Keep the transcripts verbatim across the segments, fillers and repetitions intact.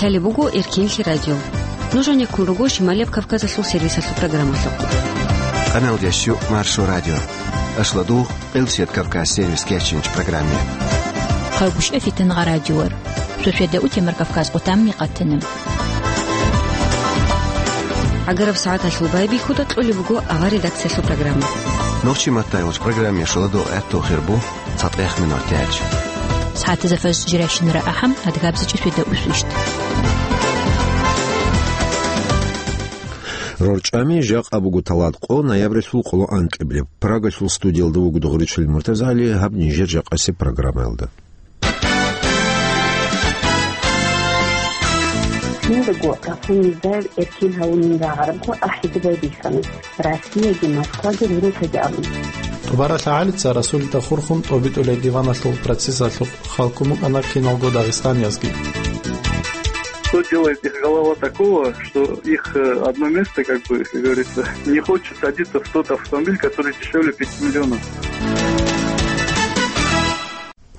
Гьале буго Эркенлъи радио. Нуж гьанеккун руго Шималияб Кавказалъул сервисалъул программалъухъ. Къаналдеш Маршо радио. Ашлу дугъ Къилсият Кавказ сервис кечинч программе. Хъагушев Фитангъа радиор. Шошеда утемар Кавказ къутамни къатана. Агараб сагӀаталъул байбихьуда кьолеб буго авар редакциялъул программа. Нохчи маттайгъуч программе шуладу гӀетту хирбу. ЦатӀех минут тяч. СагӀатазда фаз жирайщинара ахӀам, адгабзичӀи сведа усвищт. РорчӀами жакъа буго талат къо ноябралъул къоло анкьиблеб. Прагалъул студиялда вуго Дугъричил МуртазагӀали, гьаб нижер жакъасеб программаялда. Киндаго Расул Мирзаев эркин гьавунин рагӀарабго ахӀида байбихьана. Россияги Москваги рурутаги абун. ТӀубаралъа гӀалица Расулида хурхун тӀобитӀулей диваналъул процессалъухъ халкун букӀана киналго дагъистаниязги. Что делает их голова такого, что их э, одно место, как бы, как говорится, не хочет садиться в тот автомобиль, который дешевле пяти миллионов?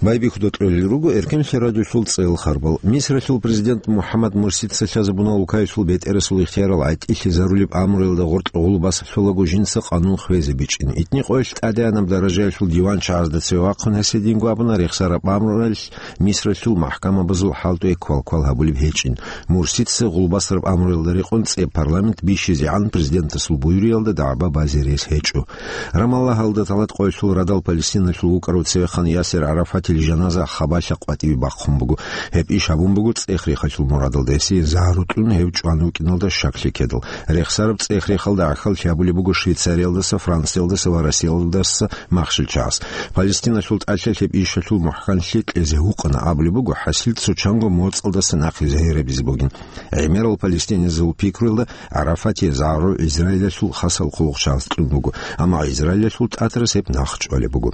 Байбихьуда кьолел руго Эркенлъи радиолъул цӀел харбал. Мисралъул президент МухӀаммад Мурсица лъазабуна Улкаялъул бетӀерасул ихтиярал гӀатӀилъизарулеб амруялда гъоркь гъулбас лъолаго жинца къанун хвезе бичӀчӀин. ИтӀни къоялъ тӀадегӀанаб даражаялъул диван чагӀазда цеве вахъун гьесие динго абуна рехсараб амруялъ Мисралъул махӀкамабазул хӀалтӀуе квалквал гьабулеб гьечӀин. Мурсица гъулбасараб амруялда рекъон цӀе парламент бищизегӀан президентасул буюриялда дагӀба базе рес гьечӀо. Рамаллагьалда талат къоялъул радал Палестиналъул вукӀарав цевехъан Ясир ГӀарафатил жаназа хабалъа къватӀиве бахъун буго. Гьеб иш гьабун буго цӀех-рехалъул мурадалда, гьесие загьру кьун гьев чӀван вукӀиналда щаклъи ккедал. Рехсараб цӀех-рехалда гӀахьаллъи гьабулеб буго Швейцариялдаса, Франциялдаса ва Россиялдаса махщел чагӀаз. Палестиналъул тӀалъа гьеб ишалъул мухӀканлъи кьезе гьукъана абулеб буго, хӀасил цо чанго моцӀалдаса нахъе загьир гьабизе бугин. ГӀемерал палестиназул пикруялда ГӀарафатие загьру Израилалъул хасал хъулухъчагӀаз кьун буго, амма Израилалъул тӀатарас гьеб нахъчӀвалеб буго.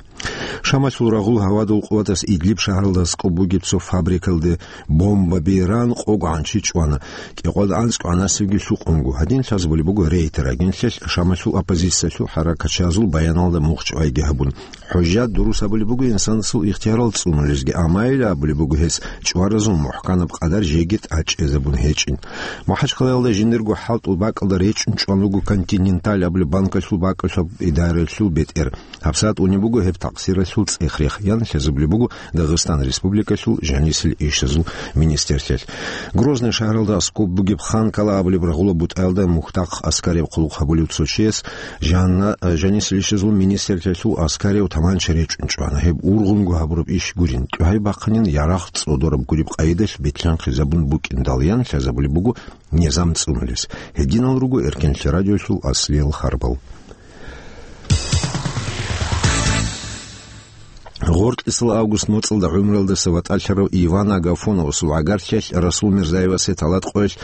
Шамалъул рагъул гьавадул къуватас Идлиб шагьаралда аскӀоб бугеб цо фабрикалде бомбаби ран къого гӀанчи чӀвана. КӀикъоялда анцӀго гӀанасебги лъукъунго. Гьадин лъазабулеб буго Рейтер агентлъиялъ Шамалъул оппозициялъул хӀаракатчагӀазул баяналда мухъ чӀвайги гьабун. ХӀужжат дурус абулеб буго инсанасул ихтиярал цӀунулезги, амма гьеле абулеб буго гьес чӀваразул мухӀканаб къадар жеги тӀад чӀезабун гьечӀин. МахӀачхъалаялда жиндирго хӀалтӀул бакӀалда речӀчӀун чӀван вуго Континенталь абулеб банкалъул бакӀалъуб идараялъул бетӀер. ГьабсагӀат унеб буго гьеб такъсиралъул цӀех-рех, ян лъазабулеб буго Дагъистан Республикалъул жанисел ишазул министрлъиялъ. Грозный шагьаралда аскӀоб бугеб Ханкала абулеб рагъула бутӀаялда мухьдахъ аскарияб хъулухъ гьабулев цо чияс жанна-, жанисел ишазул министрлъиялъул аскарияб таманча речӀчӀун чӀвана. Гьеб ургъунго гьабураб иш гурин, тӀугьай бахъанин ярагъ цӀодораб гуреб къайдалъ бетлъанхъизабун букӀиндал, ян лъазабулеб буго низам цӀунулес. Гьединал руго Эркенлъи радиолъул аслиял харбал. Гъоркьисал август моцӀалда гӀумруялдаса ватӀалъарав Иван Агафоновасул гӀагарлъиялъ Расул Мирзаевасе талат къоялъ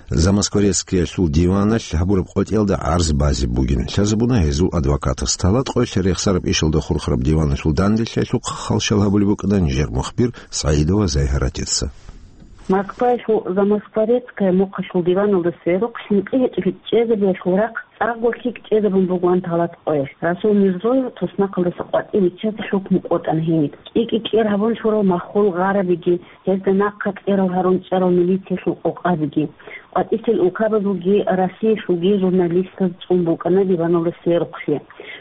Замоскворецкиялъул диваналъ гьабураб къотӀиялда гӀарз базе бугин. Лъазабуна гьезул адвокатас. Талат къоялъ рехсараб ишалда хурхараб диваналъул данделъиялъухъ халщал гьабулеб букӀана нижер мухбир СагӀидова Зайгьаратица. Москваялъул Замоскворецкая мухъалъул диваналда сверухъ хӀинкъи гьечӀеб чӀезабиялъул рахъ цӀакъго лъикӀ чӀезабун бугоан талат къоялъ. Расул Мирзоев туснахъалдаса къватӀив виччазе хӀукму къотӀана гьениб. КӀи-кӀи кӀер гьабун чурал маххул гъарабиги, гьезда нахъа кьерал гьарун чӀарал милициялъул къокъабиги, къватӀилъил улкабазулги Россиялъулги журналистаз цӀун букӀана диваналда сверухълъи.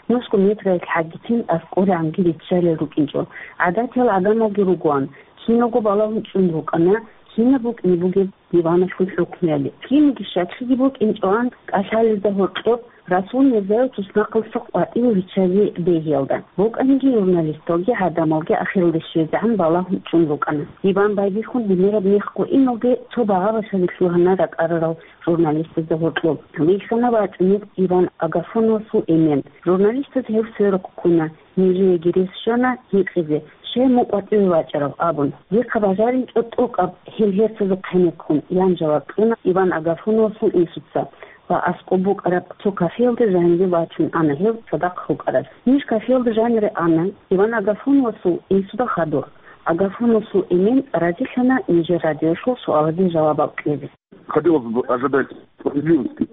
Нусго метралъ хӀагицин аскӀоригӀанги риччалел рукӀинчӀо. ГӀадатиял гӀадамалги ругоан, киналго балагьун чӀун рукӀана, кинаб букӀине бугеб диваналъул хӀукмуяли. Кинниги щаклъиги букӀинчӀоан кӀалъалезда гьоркьоб Расул Мирзаев туснахъалдаса къватӀиве виччазе бегьиялда. БукӀаниги журналисталги гӀадамалги ахиралде щвезегӀан балагьун чӀун рукӀана. Иван байбихьун гьимераб мехго иналде цо багъа-башазе лъугьана ракӀарарал журналистазда гьоркьоб. Вихьана вачӀунеб Иван Агафоновасул эмен. Журналистаз гьев сверухъ ккуна. Нижееги рес щвана гьикъизе, щай мун къватӀиве вачӀарав абун. Дихъа бажаринчӀо тӀокӀаб гьел гьерцазухъ гьенеккун, ян жаваб кьуна Иван Агафоновасул инсуца ва аскӀоб букӀараб цо кафеялда жанире вачун ана гьев цадахъ рукӀарас. Ниж кафеялда жанире ана, Иван Агафоновасул инсуда хадур. Агафоновасул эмен разилъана нижер радиолъул суалазде жавабал кьезе. Хотелось бы ожидать справедливости.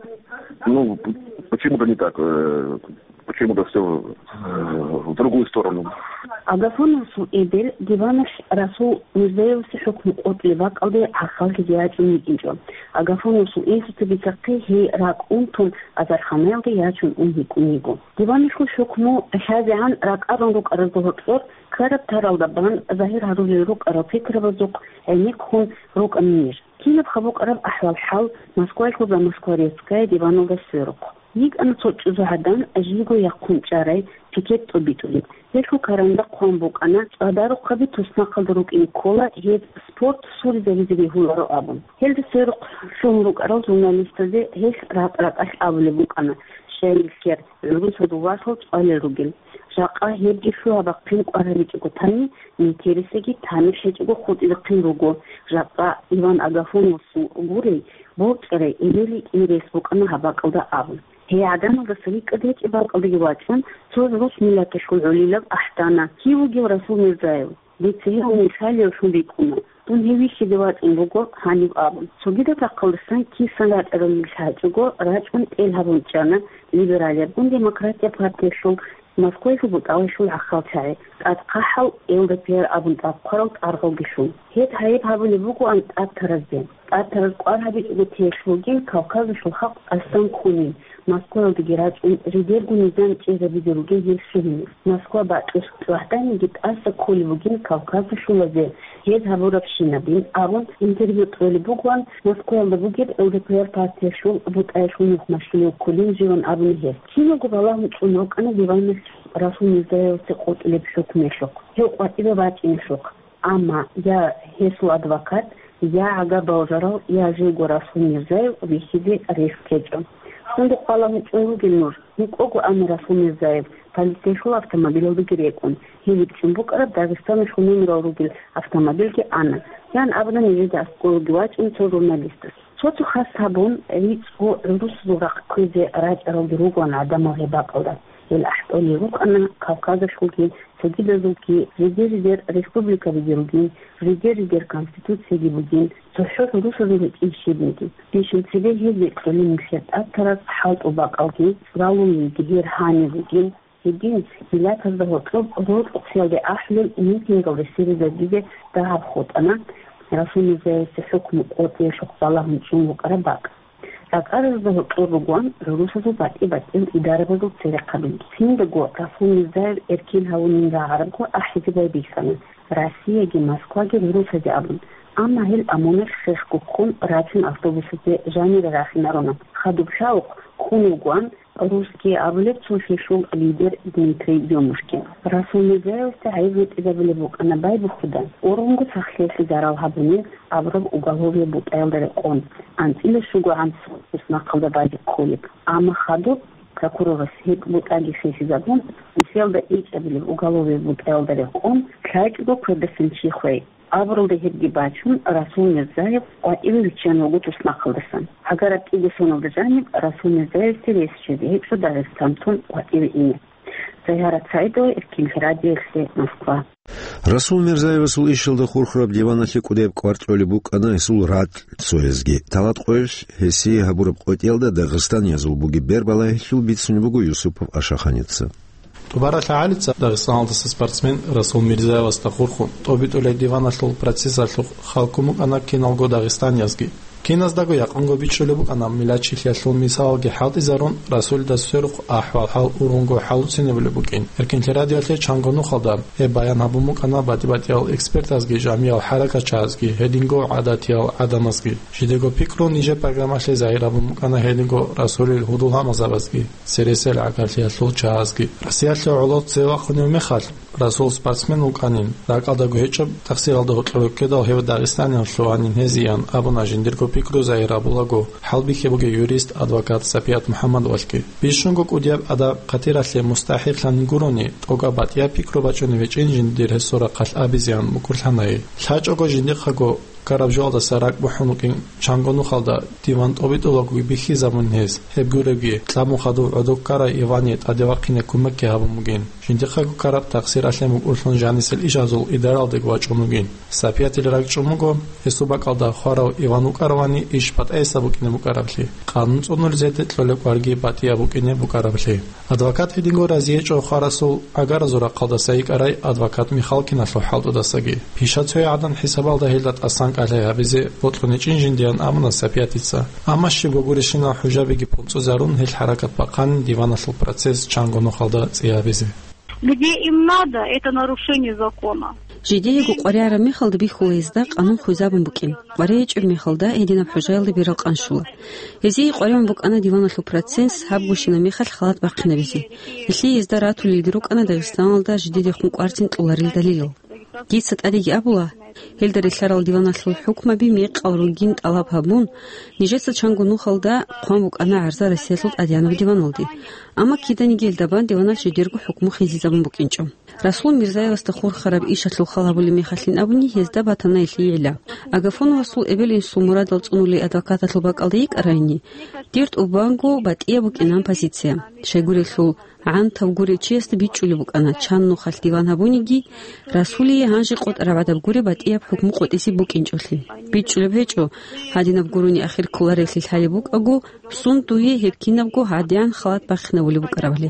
Ну, п-, почему-то не так. Э, почему-то все в другую сторону. Агафоновасул эбел диваналъ Расул Мирзаевасе хӀукму къотӀулеб бакӀалде гӀахьаллъизе ячӀун йикӀинчӀо. Агафоновасул инсуца бицахъе гьей ракӀ унтун азарханаялде ячун ун йикӀун йиго. Диваналъул хӀукму лъазегӀан ракӀарун рукӀаразда гьоркьор ккараб таралда бан загьир гьарулел рукӀарал пикрабазухъ гӀенеккун рукӀана ниж. Кинаб хабукъараб ахӀвал-хӀал Москваялъул «За Москворецкое» диваналда сверухъ. ЙикӀана цо чӀужугӀадан жийго яхъун чӀарай пикет тӀобитӀулеб. Гьелъул каранда хъван букӀана, цӀадарухъаби туснахъалда рукӀине ккола гьез спорт суризабизе бегьуларо абун. Гьелда сверухъ лъугьун рукӀарал журналистазе гьелъ ракӀ-ракӀалъ абулеб букӀана, щай нилъер гӀурусазул васал цӀвалел ругел. Жакъа гьебги лъугьа-бахъин кӀвар гьабичӀого тани, нилъерисеги тамихӀ гьечӀого хутӀизехъин руго. Жакъа Иван Агафоновасул гурей, борчӀарай эбел йикӀине рес букӀана гьаб бакӀалда абун. Гьей гӀадамалдаса рикӀкӀад гьечӀеб бакӀалдаги вачӀун, цо рус миллаталъул гӀолилаб ахӀдана: «Кив вугев Расул Мирзаев? Дица гьев мисалиявлъун рикӀкӀуна. Дун гьев вихьизе вачӀун вуго гьаниб», — абун. Цогидаб рахъалдасан кисан рачӀарал нилъ гьачӀого рачӀун тӀел гьабун чӀана либералиябгун демократия партиялъул Москваялъул бутӀалалъул гӀахьалчагӀи, тӀадхъахӀал ЛДПР абун тӀадхъварал тӀаргъалги лъун. Гьеб гьайиб гьабулеб бугоан тӀад таразде. ТӀад тараз кӀвар гьабичӀого теялъ вугин Кавказалъул халкъ астан ккунин, Москваялдаги рачӀун, жидерго низам чӀезабизе ругин гьел лъугьине. Москва бакьулъ цӀвагьданиги тӀаса кколеб бугин кавказалъулазе гьез гьабурабщинабин абун интервью кьолеб бугоан Москваялда бугеб ЛДПР партиялъул бутӀаялъул нухмалъулев кколин живан абуна гьес. Киналго балагьун чӀун рукӀана диваналъ Расул Мирзаевасе къотӀулеб хӀукмуялъухъ, гьев къватӀибе бачӀинелъухъ. Амма я гьесул адвокат, я гӀага балжарал, я живго Расул Мирзаев вихьизе рес ккечӀо. Сундухъ балагьун чӀун ругел нуж, мукӀого ана Расул Мирзаев, полициялъул автомобилалдаги рекӀун, гьев вичӀчӀун букӀараб Дагъистаналъул номерал ругел автомобилги ана, ян абуна нижеда аскӀолаги вачӀун цо журналистас. Цо-цо хас гьабун, рицӀго гӀурусазул рахъ кквезе рачӀаралги ругоан гӀадамал гьеб бакӀалда. Гьел ахӀдолел рукӀана Кавказалъулги, цогидазулги, жидер-жидер республикабиги ругин, жидер-жидер конституцияги бугин, цохӀо гӀурусазул гьечӀин щибниги. Бищун цебе гьез бекьулин нилъер тӀад тараз хӀалтӀул бакӀалги, цӀралулелги гьер гьанив вугин. Гьедин, миллатазда гьоркьоб роркъухъялде ахӀулел митингал ресеризабизе дагьаб хутӀана Расул Мирзаевасе хӀукму къотӀиялъухъ балагьун чӀун вукӀараб бакӀ. РакӀаразда гьоркьор ругоан гӀурусазул батӀи-батӀиял идарабазул церехъабилги. Циндаго Расул Мирзаев эркин гьавунин рагӀарабго ахӀизе байбихьана Россияги Москваги гӀурусазе абун, амма гьел ОМОНалъ хехго ккун рачун автобусазе жанире рахинаруна. Хадуб лъавухъ ккун вугоан русский абулеб цо лъелъул лидер Дмитрий Ёмушкин. Расул Мирзаевасда гӀайиб бутӀизабулеб букӀана байбихьуда, ургъунго сахлъиялъе зарал гьабунин абураб уголовияб бутӀаялда рекъон, анцӀила щуго гӀанцӀ туснахъалда базе кколеб. Амма хадуб прокурорас гьеб бутӀаги хисизабун, нилъеялда ичӀабилеб уголовияб бутӀаялда рекъон, лъачӀого квердасан чи хвей. Абуралда гьебги бачун, Расул Мирзаев къватӀиве виччан вуго туснахъалдасан. Гьагараб кӀиго соналда жаниб Расул Мирзаевасде рес щвезе гьечӀо Дагъистан тун къватӀиве ине. Загьарат Саидова, Эркин радиоялъе, Москва. Расул Мирзаевасул ишалда хурхараб диваналъе кӀудияб кӀвар кьолеб букӀана гьесул ракь цоязги. Талат къоялъ гьесие гьабураб къотӀиялда дагъистаниязул бугеб бербалагьилъул бицунеб буго Юсупов Ашаханица. ТӀубаралъ гӀалица Дагъистаналдаса спортсмен Расул Мирзаевасда хурхун, тӀобитӀулеб диваналъул процессалъухъ халкун букӀана киналго дагъистаниязги. Киназдаго якъунго бичӀчӀулеб букӀана миллатчилъиялъул мисалалги хӀалтӀизарун, Расулида сверухъ ахӀвал-хӀал ургъунго хӀалуцинабулеб букӀин. Эркинлъи радиоялъе чанго нухалда гьеб баян гьабун букӀана батӀи-батӀиял экспертазги, жамиял хӀаракатчагьазги, гьединго гӀадатиял гӀадамазги. Жидего пикру нижер программалъе загьир гьабун букӀана гьединго Расулил гьудул гьамазабазги, цересел гӀагарлъиялъул чагьазги. Россиялъе гӀоло цеве вахъунев мехалъ, Расул спортсмен вукӀанин, ракӀалдаго гьечӀеб, тахсиралда гьоркьор вуккедал гьев дагъистаниял лъугьанин гьезиян абуна жиндирго пикру загьир гьабулаго хӀалбихьи бугев юрист, адвокат Сапият МухӀаммадовалъги. Бищунго кӀудияб адаб хъатиралъе мустахӀикълъанин гурони, тӀокӀаб батӀияб пикру бачӀунев гьечӀин жиндир гьесул рахъалъ абизеян мукӀурлъанай. ЛъачӀого жиндихъаго Ккараб жоялдаса ракӀ бухӀун вукӀин чанго нухалда диван тӀобитӀулагоги бихьизабун гьес, гьеб гуребги, тӀамун хадув гӀодов ккарай Иване тӀаде вахъине кумекги гьабун бугин. Жиндихъего ккараб такъсир алъен букӀурлъун жанисел ишазул идаралдего вачӀун вугин. Сапиятил ракӀчӀун буго, гьесул бакӀалда хварав Иван вукӀаравани иш батӀаясда букӀине букӀараблъи, къанун цӀунулезеде кьолеб кӀварги батӀияб букӀине букӀараблъи. Адвокат гьединго разиечӀо хварасул гӀагаразул рахъалдаса йикӀарай адвокат Михалкиналъул хӀалтӀудасаги. Пиша цоягӀадан хӀисабалда гьелда тӀасан кӀалъай гьабизе бокьуничӀин жиндиян абуна Сапиятица. Амма щиб гурищинал хӀужабиги пунцӀизарун гьел хӀаракат бахъанин диваналъул процесс чанго нухалда цӀи гьабизе. Где им надо, это нарушение закона. Жидеего къваригӀараб мехалда бихьула гьезда къанун хвезабун букӀин. КъваригӀичӀеб мехалда гьединаб хӀужаялда берал къан щула. Гьезие къваригӀун букӀана диваналъул процесс гьаб гущинаб мехалъ халат бахъинабизе. Гьелъие гьезда ратулелги рукӀана Дагъистаналда жидедехун кӀварцин кьоларел далилал. Дица тӀадеги абула, гьелда релълъарал диваналъул хӀукмаби мекъал ругин тӀалаб гьабун, нижеца чанго нухалда хъван букӀана гӀарза Россиялъул ТӀадегӀанаб диваналде. Амма киданиги гьелда бан диваналъ жидерго хӀукму хизизабун букӀинчӀо. Расул Мирзаевасда хурхараб ишалъул хал гьабулеб мехалъин абуни, гьезда батана гьелъие гӀилла. Агафоновасул эбел-инсул мурадал цӀунулей адвокаталъул бакӀалда йикӀарайни, дир тӀубанго батӀияб букӀинан позиция. Щайгурелъул гӀантав гурев чиясда бичӀчӀулеб букӀана, чан нухалъ диван гьабуниги, Расулие гьанже къотӀараб гӀадаб гуреб батӀияб хӀукму къотӀизе букӀинчӀолъи. БичӀчӀулеб гьечӀо, гьадинаб гурони ахир кколаревлъи лъалеб букӀаго, сун дуе гьеб кинабго гьадигӀан халат бахъинабулеб букӀарабали.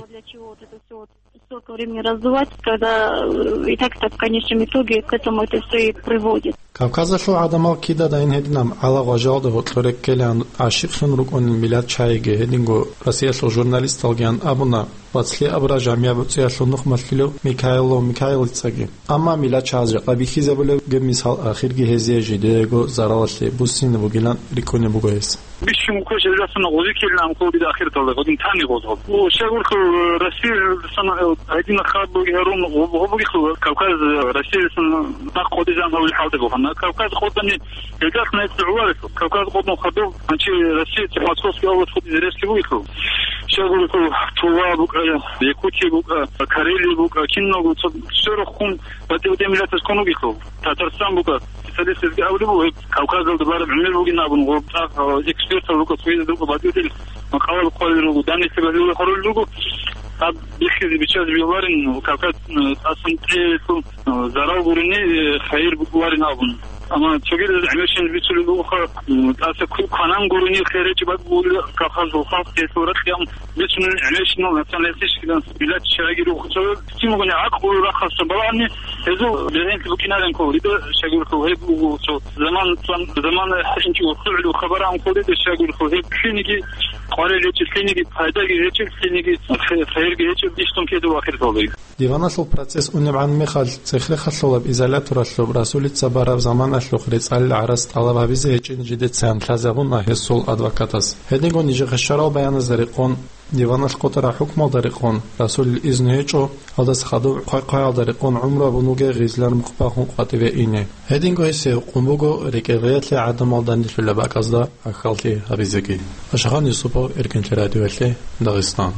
Столько времени раздувать, когда, э, и так-то в конечном итоге к этому это всё и приводит. Кавказалъул гӀадамал кидадайин гьединаб гӀалагъважалда гьоркьоре ккелан гӀащикълъун рукӀунел миллат чагӀиги гьединго Россиялъул журналисталгиян абуна вацлъи абураб жамигӀ буцӀиялъул нухмалъулев Микаило Микаилицаги. Амма миллат чагӀаз жакъа бихьизабулеб гьеб мисал ахирги гьезие жидеего заралалъе буссине бугилан рикӀкӀунеб буго гьес. Бищун квеш эзасана гъозикилан амхъулги ахирталда гъодин тани гъозгъоб. О, щагурхъу, э, Россия сана, э, гьадина хаб буги гьарун гъоб-, гъоб бугихъу, Кавказ, э, Россия сана нахъ къодизан гьавил хӀалда бухана. Кавказ къодани гьелдахъ найт гӀуварихъу. Кавказ къоднун хадув, анчи Россия, Московский область къодизе рерси бугихъу. Щагурхъу, Тува букӀа, Якутия букӀа, Карелия букӀа, киналго цо-, сверухъ хун батӀи-батӀи миллатас ккун вугихъу. Татарстан букӀа. Специалистазги абулеб буго, гьеб Кавказалда бараб гӀемер бугин абун, гъоб цӀакъ, э, экспертал руго, цояз руго, батӀиятел макъалал хъвалел руго, данныйсабазул хъварал руго. Гьаб бихьизе биччазе бияларин, Кавказ, э, тӀасан тӀеялъул, э, зарал гурони, э, хайир букӀуларин абун. Амма цогидаз гӀемерщинал бицулеб бугоха, м, тӀаса ку-, кванан гурони хер гьечӀеб бакӀ бугила Кавказалъул халкъ, гьелъул ракьян бицунел гӀемерщинал националистический миллат чагӀиги рухъ цо. Кин бугони гӀакълу рахъалъа балагьани, гьезул бегьенлъи букӀинарин ккола, дида щайгурелъул гьеб буго цо заман, заман, замана хӀинчӀи урхугӀлу хабар гьанкъо, дида щайгурелъул гьеб лъиниги къварил гьечӀеб, лъиниги пайдаги гьечӀеб, лъиниги хе-, хейрги гьечӀеб, бищун кедав ахиралда. Диваналъул процесс унебгӀан мехалъ, цех рехалъулаб изоляторалъуб Расулица бараб заманалъухъ рецӀалил гӀарац тӀалаб гьабизе гьечӀин жидецаан лъазабуна гьесул адвокатас. Гьединго нижехъе щварал баяназда рекъон, диваналъ къотӀараб хӀукмалда рекъон, Расулил изну гьечӀо, гьалдаса хадуб хъвай-хъваялда рекъон гӀумру абун вугев гъизлар мухъ бахун къватӀиве ине. Гьединго гьесие гьукъун буго рекӀелгъеялъе гӀадамал данделъулеб бакӀазда ахьаллъи гьабизеги. Ашагъан Юсупов, Эркинлъи радиоялъе, Дагъистан.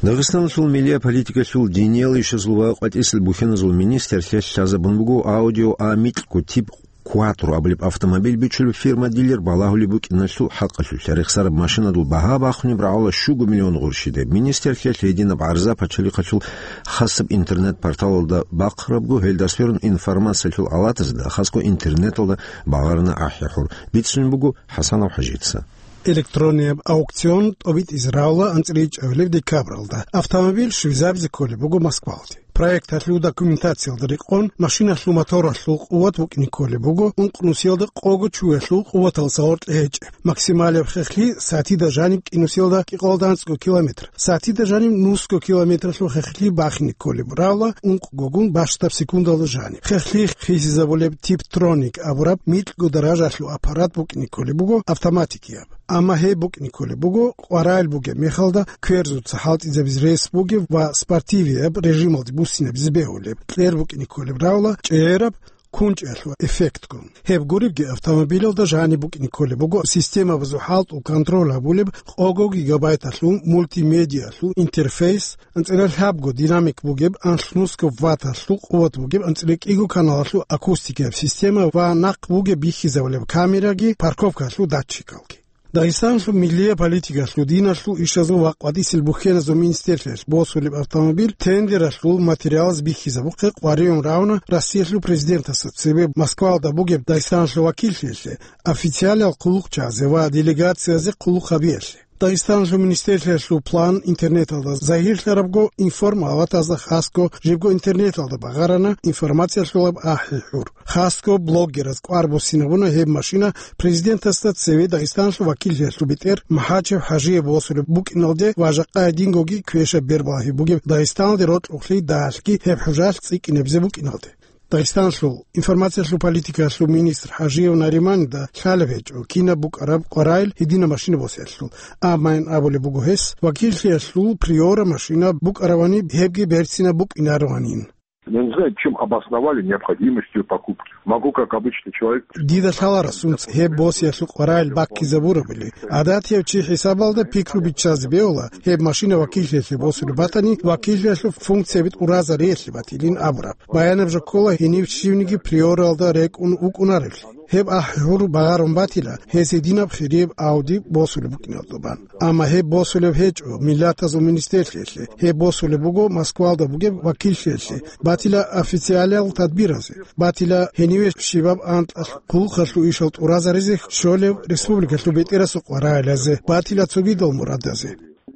Дагъистаналъул миллият политикалъул диниял ишазул ва къватӀисел бухьаназул министрлъи лъазабун буго Audi A микьго тип Quattro абулеб автомобиль бичулеб фирма-дилер балагьулеб букӀиналъул хӀакъалъулъ. Рехсараб машинадул багьа бахунеб рагӀула щуго миллион гъурщиде. Министрлъиялъ гьединаб гӀарза пачалихъалъул хасаб интернет-порталалда бахъарабго, гьелда сверун информациялъул алатазда, хасго интернеталда багъарна ахӀи-хӀур. Бицунеб буго ХӀасанов ХӀажица. Электронияб аукцион тӀобитӀизе рагӀула анцӀила ичӀабилеб декабралда. Автомобиль щвезабизе кколеб буго Москвалде. Проекталъул документациялда рекъон, машиналъул моторалъул къуват букӀине кколеб буго ункънусиялда къого чуялъул къуваталдаса гъоркье гьечӀеб. Максималияб хехлъи сатида жаниб кӀинусиялда кӀикъоялда анцӀго километр, сатида жаниб нусго километралъул хехлъи бахине кколеб рагӀула ункъгогун бащдаб секундалда жаниб. Хехлъи хисизабулеб Типтроник абураб микьго даражалъул аппарат букӀине кколеб буго автоматикияб. Амма гьеб букӀине кколеб буго къваригӀел бугеб мехалда кверзуца хӀалтӀизабизе рес бугеб ва спортивияб режималде буссинабизе бегьулеб. Кьер букӀине кколеб рагӀула чӀегӀераб кунчӀиялъул эффектгун. Гьеб гуребги автомобилалда жаниб букӀине кколеб буго системабазул хӀалтӀул контроль гьабулеб къого гигабайталъул мультимедиалъул интерфейс, анцӀила лъабго динамик бугеб, анлънусго ватталъул къуват бугеб, анцӀила кӀиго каналалъул акустикияб система ва нахъ бугеб бихьизабулеб камераги, парковкалъул датчикалги. Дагъистаналъул миллияб политикалъул, диналъул ишазул ва къватӀисел бухьеназул министрлъиялъ босулеб автомобиль тендералъул материалаз бихьизабухъе къваригӀун равна Россиялъул президентасда цебе Москвалда бугеб Дагъистаналъул вакиллъиялъе, официалиял хъулухъчагӀазе ва делегациязе хъулухъ гьабиялъе. Дагъистаналъул министрлъиялъул план интернеталда загьирлъарабго, информаватазда хасго жибго интернеталда багъарана информациялъулаб ахӀи-хӀур. Хасго блогераз кӀвар буссинабуна гьеб машина президентасда цеве Дагъистаналъул вакиллъиялъул бетӀер МахӀачев ХӀажиев босулеб букӀиналде ва жакъа гьедингоги квешаб бербалъи бугеб Дагъистаналде рокьулъи дагьалъги гьеб хӀужалъ цӀикӀкӀинабизе букӀиналде. Дагъистаналъул информациялъул политикаялъул министр ХӀажиев Нариманида лъалеб гьечӀо кинаб букӀараб къваригӀел гьединаб машина босиялъул, амма ин абулеб буго гьес, вакиллъиялъул Приора машина букӀаравани, гьебги берцинаб букӀинарованин. Я не знаю, чем обосновали необходимость её покупки. Могу, как обычный человек. Дида лъаларасунц гьеб босиялъул къваригӀел баккизабурабули. ГӀадатияв чи хӀисабалда пикру биччазе бегьула, гьеб машина вакиллъиялъе босулеб батани, вакиллъиялъул функцияб тӀуразариялъе батилин абураб. Баянаб жо ккола гьенив щивниги Приоралда рекӀун вукӀунареблъи. Гьеб ахӀи-хӀур багъарун батила, гьез гьединаб хирияб Ауди босулеб букӀиналдубан. Амма гьеб босулеб гьечӀо миллатазул министрлъиялъе, гьеб босулеб буго Москвалда бугеб вакиллъиялъе, батила официалиял тадбиразе, батила гьениве щибаб анкьалъ хъулухъалъул ишал тӀуразаризе щолев республикалъул бетӀерасул къваригӀелазе, батила цогидал мурадазе.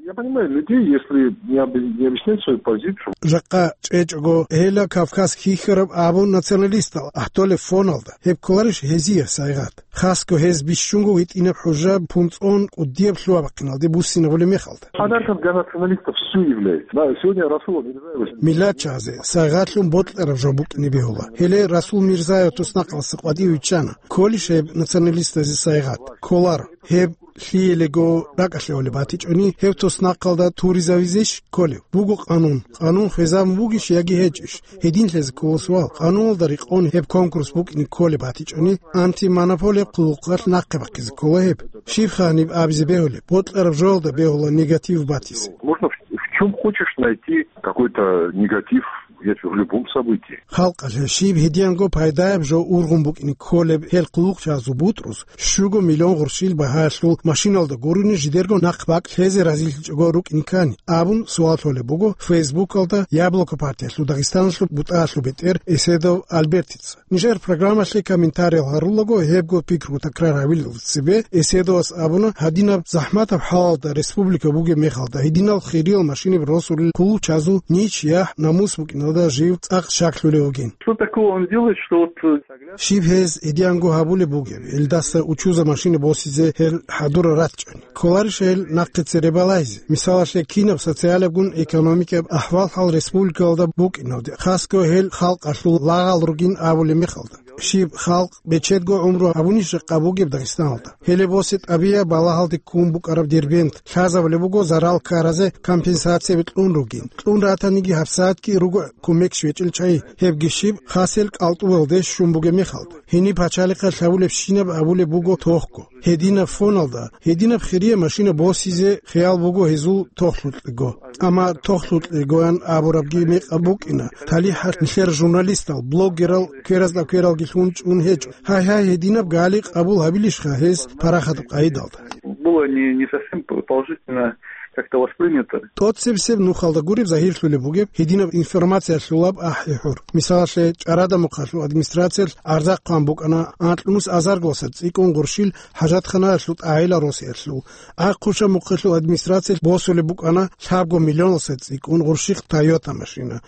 Я понимаю людей, если не об-, не объясняют свою позицию. Жакъа чӀечӀого гьела Кавказ хьихьараб абун националистал ахӀдолеб фоналда, гьеб кколарищ гьезие сайгъат? Хасго гьез бищунго гьитӀинаб хӀужа пунцӀон кӀудияб лъугьа-бахъиналде буссинабулеб мехалда. Подарком для националистов всё является. Да, сегодня Расул Мирзаев. Миллатчагьазе сайгъатлъун бокьараб жо букӀине бегьула. Гьеле Расул Мирзаев туснахъалъа къватӀив виччана. Кколищ гьеб националистазе сайгъат? Кколаро. Гьеб лъиялего ракӀалъе гьолеб батичӀони, гьеб туснахъалда туризавизищ кколев? Буго къанун. Къанун хвезабун бугищ яги гьечӀищ? Гьединлъизе ккола суал. Къануналда рекъон гьеб конкурс букӀине кколеб батичӀони, антимонополияб хъулухъалъ нахъе бахъизе ккола гьеб. Щибха гьаниб абизе бегьулеб? Бокьараб жоялда бегьула негатив батизе. Можно в, в чём хочешь найти какой-то негатив, я тебе в любом событии. Халкъалъе щиб гьедиянго пайдаяб жо ургъун букӀине кколеб гьел хъулухъчагьазул бутӀрус, щуго миллион гъурщил багьаялъул машиналда гурони жидерго нахъ бакӀ лъезе разилъичӀого рукӀине ккани, абун суал лъолеб буго Фейсбукалда Яблоко партиялъул Дагъистаналъул бутӀаялъул бетӀер Эседов Альбертица. Нижер программалъе комментариял гьарулаго гьебго пикру такрар гьавилел цебе Эседовас абуна, гьадинаб захӀматаб хӀалалда республика бугеб мехалда гьединал хириял машинаб росулел хъулухъчагьазул нич яхӀ-намус букӀиналда жив цӀакъ щаклъулев вугин. Что такого он делает, что вот, э, Щиб гьез гьедиянго гьабулеб бугеб, гьелдаса учуза машина босизе гьел хӀадура ратчӀани? Кколарищ гьел нахъе цере балагьизе? Мисалалъе, кинаб социалабгун экономикияб ахӀвал-хӀал республикалда букӀиналде, хасго гьел халкъалъул лагъал ругин абулеб мехалда? Щиб халкъ бечедго гӀумру гьабунищ жакъа бугеб Дагъистаналда? Гьеле босе тӀабия балагьалде ккун букӀараб Дербент лъазабулеб буго зарал ккаразе компенсацияби кьун ругин. Кьун ратаниги гьабсагӀатги руго кумекщ гьечӀел чагӀи, гьебги щиб хасел кӀалтӀуялде щун бугеб мехалда. Гьениб пачалихъалъ гьабулебщинаб абулеб буго тохго. Гьединаб фоналда, гьединаб хирия машина босизе хиял буго гьезул тохлъукьего. Амма тохлъукьегоян абурабги мекъаб букӀина, талихӀалъ нилъер журналистал, блогерал кверазда квералги лъун чӀун гьечӀо. Гьай-гьай, гьединаб гали къабул гьабилищха гьез парахатаб къайдалда? Было не, не совсем положительно как-то воспринято. ТӀоцебесеб нухалда гуреб загьирлъулеб бугеб гьединаб информациялъулаб ахӀи-хӀур. Мисалалъе, ЧӀарада мухъалъул администрациялъ гӀарза хъван букӀана анкьнус азарго сад цӀикӀкӀун гъурщил хӀажатханаялъул тӀагӀилал росиялъул. Ахъуша мухъалъул администрациялъ босулеб букӀана лъабго миллионал сад цӀикӀкӀун гъурщихъ Тойота машина.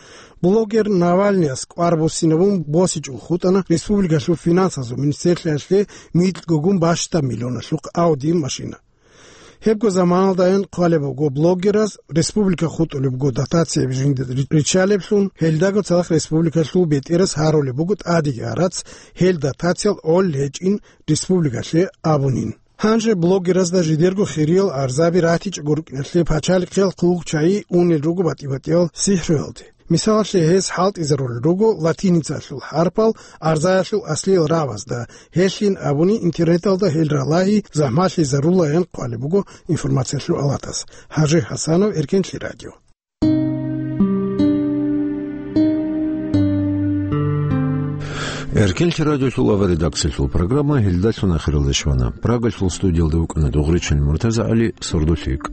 Блогер Навальныяс кӀвар буссинабун босичӀого хутӀана республикалъул финансазул министрлъиялъе микьгогун бащдаб миллионалъухъ Audi машина. Гьебго заманалдайин хъвалеб буго блогераз республика хутӀулеб буго дотацияб жинда риччалеблъун, гьелдаго цадахъ республикалъул бетӀерас гьарулеб буго тӀадеги гьарац, гьел дотациял гӀолел гьечӀин республикалъе абунин. Гьанже блогеразда жидерго хириял гӀарзаби ратичӀого рукӀиналъе пачалихъиял хъулухъчагьи унел руго батӀи-батӀиял сихӀруялде. Мисалалъе, гьез хӀалтӀизарулел руго латиницалъул хӀарпал арзаялъул аслиял рагӀабазда, гьелъин абуни интернеталда гьел ралагьи захӀмалъизарулаян хъвалеб буго информациялъул алатас. Гьажи ХӀасанов, Эркенлъи радио. Эркенлъи радиолъул аваредакциялъул программа гьелдалъун ахиралде щвана. Прагалъул студиялда вукӀана Дугъричан МуртазагӀали, сордолъи йикӀ.